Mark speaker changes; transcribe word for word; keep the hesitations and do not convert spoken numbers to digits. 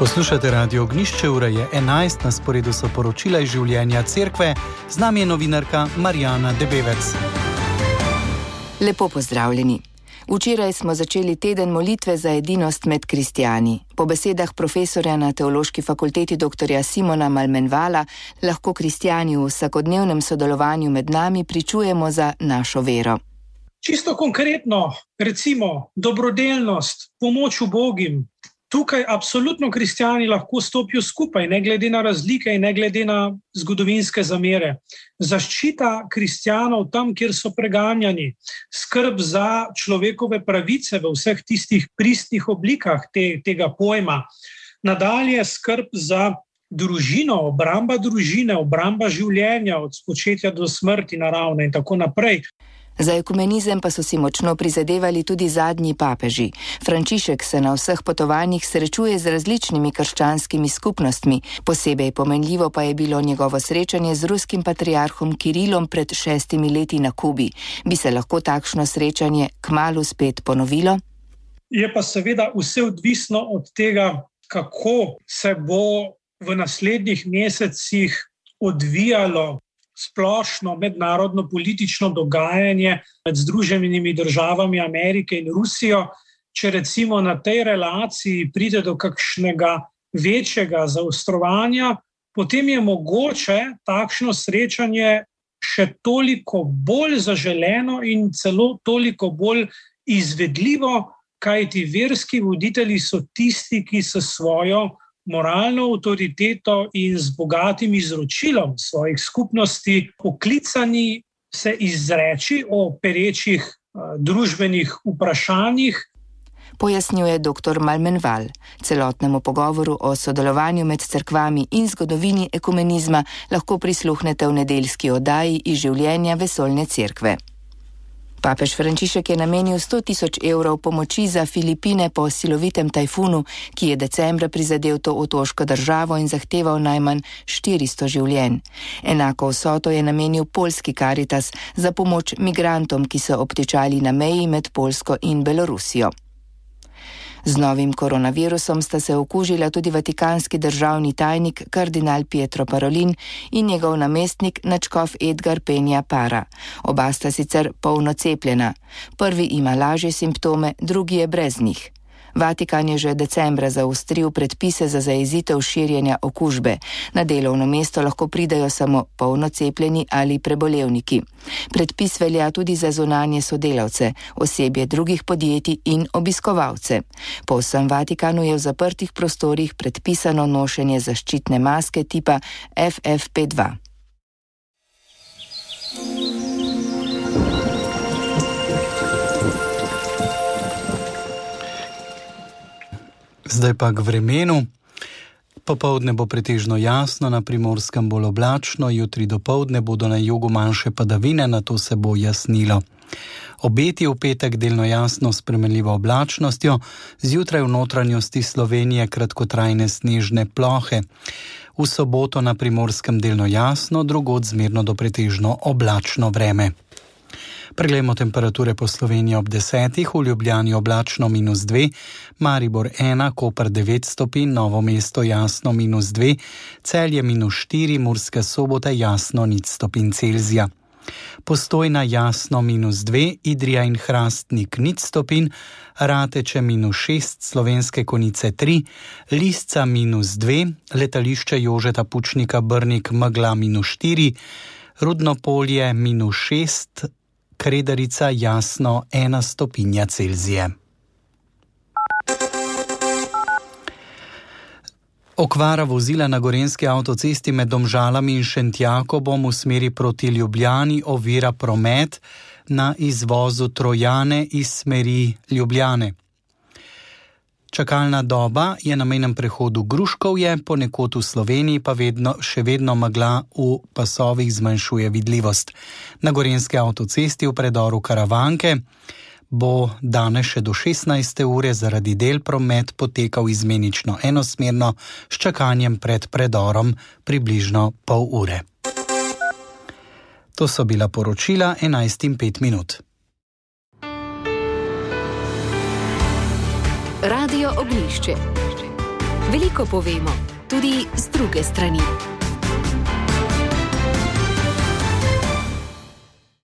Speaker 1: Poslušate Radio Ognišče, ura je enajst, na sporedu so poročila iz življenja cerkve, z nami je novinarka Marjana Debevec.
Speaker 2: Lepo pozdravljeni. Včeraj smo začeli teden molitve za edinost med kristjani. Po besedah profesorja na Teološki fakulteti doktorja Simona Malmenvala lahko kristjani v vsakodnevnem sodelovanju med nami pričujemo za našo vero.
Speaker 3: Čisto konkretno, recimo dobrodelnost, pomoč ubogim. Tukaj absolutno kristjani lahko stopijo skupaj, ne glede na razlike in ne glede na zgodovinske zamere. Zaščita kristjanov tam, kjer so preganjani, skrb za človekove pravice v vseh tistih pristnih oblikah te, tega pojma, nadalje skrb za družino, obramba družine, obramba življenja od spočetja do smrti naravne in tako naprej.
Speaker 2: Za ekumenizem pa so si močno prizadevali tudi zadnji papeži. Frančišek se na vseh potovanjih srečuje z različnimi krščanskimi skupnostmi. Posebej pomenljivo pa je bilo njegovo srečanje z ruskim patriarhom Kirilom pred šestimi leti na Kubi. Bi se lahko takšno srečanje kmalu spet ponovilo?
Speaker 3: Je pa seveda vse odvisno od tega, kako se bo v naslednjih mesecih odvijalo splošno mednarodno politično dogajanje med Združenimi državami Amerike in Rusijo. Če recimo na tej relaciji pride do kakšnega večjega zaostrovanja, potem je mogoče takšno srečanje še toliko bolj zaželeno in celo toliko bolj izvedljivo, kajti verski voditelji so tisti, ki s svojo moralno avtoriteto in z bogatim izročilom svojih skupnosti poklicani se izreči o perečih uh, družbenih vprašanjih.
Speaker 2: Pojasnjuje doktor Malmenval. Celotnemu pogovoru o sodelovanju med cerkvami in zgodovini ekumenizma lahko prisluhnete v nedeljski oddaji iz življenja vesoljne cerkve. Papež Frančišek je namenil sto tisoč evrov pomoči za Filipine po silovitem tajfunu, ki je decembra prizadel to otoško državo in zahteval najmanj štiristo življenj. Enako vsoto je namenil poljski Karitas za pomoč migrantom, ki so obtičali na meji med Poljsko in Belorusijo. Z novim koronavirusom sta se okužila tudi vatikanski državni tajnik kardinal Pietro Parolin in njegov namestnik nadškof Edgar Penja Para. Oba sta sicer polno cepljena. Prvi ima lažje simptome, drugi je brez njih. Vatikan je že decembra zaostril predpise za zajezitev širjenja okužbe. Na delovno mesto lahko pridajo samo polno cepljeni ali prebolevniki. Predpis velja tudi za zunanje sodelavce, osebje drugih podjetij in obiskovalce. Po vsem Vatikanu je v zaprtih prostorih predpisano nošenje zaščitne maske tipa F F P dva.
Speaker 1: Zdaj pa k vremenu. Popoldne bo pretežno jasno, na Primorskem bolj oblačno, jutri dopoldne bodo na jugu manjše padavine, nato se bo jasnilo. Obeti v petek delno jasno s spremenljivo oblačnostjo, zjutraj v notranjosti Slovenije kratkotrajne snežne plohe. V soboto na Primorskem delno jasno, drugod zmerno do pretežno oblačno vreme. Preglejmo temperature po Sloveniji ob desetih, v Ljubljani oblačno minus dve, Maribor ena, Koper devet stopinj, Novo mesto jasno minus dve, Celje minus štiri, Murska Sobota jasno nič stopinj Celzija. Postojna jasno minus dve, Idrija in Hrastnik nič stopinj, Rateče minus šest, Slovenske Konjice tri, Lisca minus dve, Letališče Jožeta Pučnika Brnik megla minus štiri, Rudno Polje minus šest, Kredarica jasno ena stopinja Celzije. Okvara vozila na gorenjski avtocesti med Domžalami in Šentjakobom v smeri proti Ljubljani ovira promet na izvozu Trojane iz smeri Ljubljane. Čakalna doba je na mejnem prehodu Gruškovje, ponekod v Sloveniji pa vedno, še vedno megla v pasovih zmanjšuje vidljivost. Na gorenjski avtocesti v predoru Karavanke bo danes še do šestnajste ure zaradi del promet potekal izmenično enosmerno s čakanjem pred predorom približno pol ure. To so bila poročila enajst in pet minut.
Speaker 4: Radio Ognišče. Veliko povemo, tudi z druge strani.